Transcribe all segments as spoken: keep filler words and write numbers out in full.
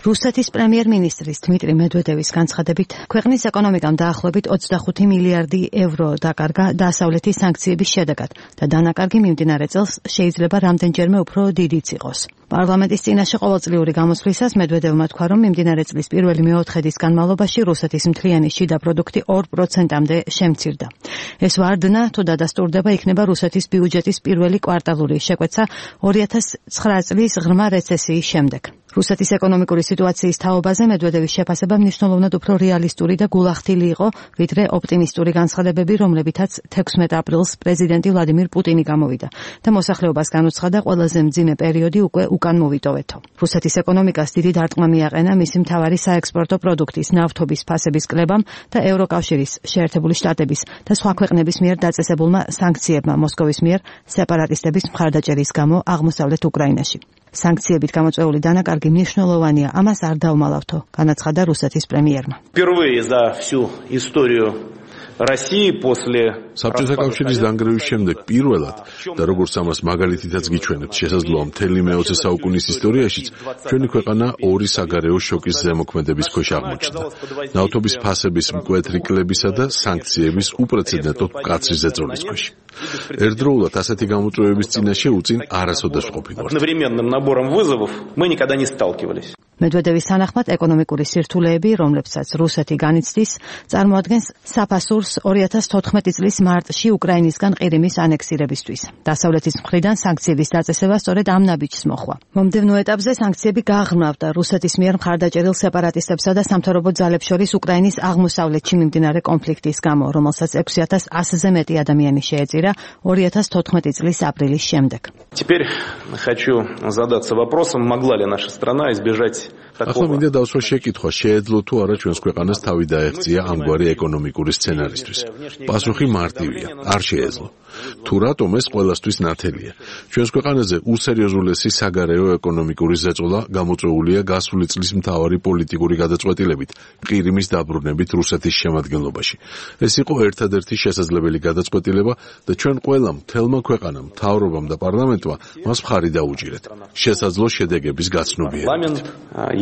რუსეთის პრემიერ-მინისტრის დმიტრი მედვედევის განცხადებით, ქვეყნის ეკონომიკამ დაახლოებით ოცდახუთი მილიარდი ევრო დაკარგა დასავლეთის სანქციების შედეგად და დანაკარგი მიმდინარე წელს შეიძლება რამდენჯერმე უფრო დიდიც იყოს. პარლამენტის წინაშე ყოველწლიური გამოსვლისას მედვედევმა თქვა, რომ მიმდინარე წლის პირველი მეოთხედის განმავლობაში რუსეთის მთლიანი შიდა პროდუქტი ორ პროცენტამდე შემცირდა. ეს ვარდნა, თუ დადასტურდება, იქნება რუსეთის ბიუჯეტის პირველი კვარტალური შეკვეცა ორი ათას ცხრა წლის ღრმა რეცესიის შემდეგ. რუსეთის ეკონომიკური სიტუაციის თაობაზე მედვედევის შეფასება მნიშვნელოვნად უფრო რეალისტური და გულახდილი იყო, ვიდრე ოპტიმისტური განცხადებები, რომლებითაც თექვსმეტ აპრილს პრეზიდენტი ვლადიმირ პუტინი გამოვიდა და მოსახლეობას განუცხადა ყველაზე მძიმე პერიოდი უკვე უკან მოვიტოვეთო. რუსეთის ეკონომიკას დიდი დარტყმა მიაყენა მისი მთავარი საექსპორტო პროდუქტის ნავთობის ფასების კლებამ და ევროკავშირის, შეერთებული შტატების და სხვა ქვეყნების მიერ დაწესებულმა სანქციებმა მოსკოვის მიერ სეპარატისტების მხარდაჭერის გამო აღმოსავლეთ უკრაინაში. Санкციებით გამოწვეული დანაკარგი მნიშვნელოვანია, ამას არ დავმალავთო, განაცხადა რუსეთის პრემიერმა. Впервые за всю историю России после საბჭოთა კავშირის დანგრევის შემდეგ პირველად და როგორც ამას მაგალითითაც გიჩვენებთ, შესაძლოა მთელი მეოცე საუკუნის ისტორიაშიც ჩვენი ქვეყანა ორი საგარეო შოკის ზემოქმედების ქვეშ აღმოჩნდა. ნავთობის ფასების მკვეთრი კლებისა და სანქციების უპრეცედენტო მკაცრი ზეწოლის ქვეშ. ერთდროულად ასეთი გამოწვევების წინაშე უწინ არასოდეს ვყოფილვართ. Одновременным набором вызовов мы никогда не сталкивались. მედვედევის თანახმად ეკონომიკური სირთულეები, რომლებსაც რუსეთი განიცდის, წარმოადგენს საფასურს ორი ათას თოთხმეტი წლის მარტში უკრაინისგან ყირიმის ანექსირებისთვის. დასავლეთის მხრიდან სანქციების დაწესება სწორედ ამ ნაბიჯს მოჰყვა. მომდევნო ეტაპზე სანქციები გააღრმავდა რუსეთის მიერ მხარდაჭერილ სეპარატისტებსა და სამთავრობო ძალებს შორის უკრაინის აღმოსავლეთში მიმდინარე კონფლიქტის გამო, რომელსაც ექვსი ათას ასზე მეტი ადამიანი შეეწირა ორი ათას თოთხმეტი წლის აპრილის შემდეგ. Теперь хочу задаться вопросом, могла ли наша страна избежать ახლა მინდა დავსვა შეკითხვა, შეეძლო თუ არა ჩვენს ქვეყანას თავი დაეღწია ამგვარი ეკონომიკური სცენარისთვის. პასუხი მარტივია, არ შეეძლო. თუ რატომ ეს ყველასთვის ნათელია? ჩვენს ქვეყანაზე უსერიოზულესი საგარეო ეკონომიკური ზეწოლა გამოწვეულია გასული წლის მთავარი პოლიტიკური გადაწყვეტილებით, ყირიმის დაბრუნებით რუსეთის შემადგენლობაში. ეს იყო ერთადერთი შესაძლებელი გადაწყვეტილება და ჩვენ ყველამ, მთელმა ქვეყანამ, მთავრობამ და პარლამენტმა მას მხარი დაუჭირეთ. შესაძლო შედეგების გაცნობიერებით.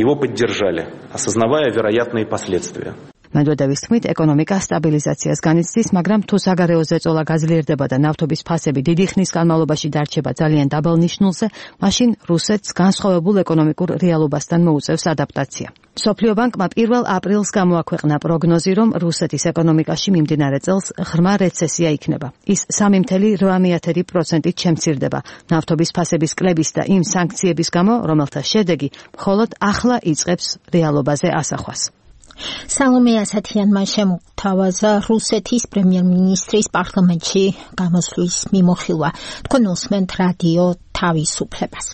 Его поддержали, осознавая вероятные последствия. მედვედევის თქმით, ეკონომიკა სტაბილიზაციას განიცდის, მაგრამ თუ საგარეო ზეწოლა გაძლიერდება და ნავთობის ფასები დიდი ხნის განმავლობაში დარჩება ძალიან დაბალ ნიშნულზე, მაშინ რუსეთს განსხვავებულ ეკონომიკურ რეალობასთან მოუწევს ადაპტაცია. მსოფლიო ბანკმა პირველ აპრილს გამოაქვეყნა პროგნოზი, რომ რუსეთის ეკონომიკაში მიმდინარე წელს ღრმა რეცესია იქნება. ის სამი целых რვა პროცენტით შემცირდება ნავთობის ფასების კლების და იმ სანქციების გამო, რომელთა შედეგი მხოლოდ ახლა იწყებს რეალობაზე ასახვას. სალომე ასათიანმა შემოთავაზა რუსეთის პრემიერ-მინისტრის პარლამენტში გამოსვლის მიმოხილვა. თქვენ უსმენთ რადიო თავისუფლებას.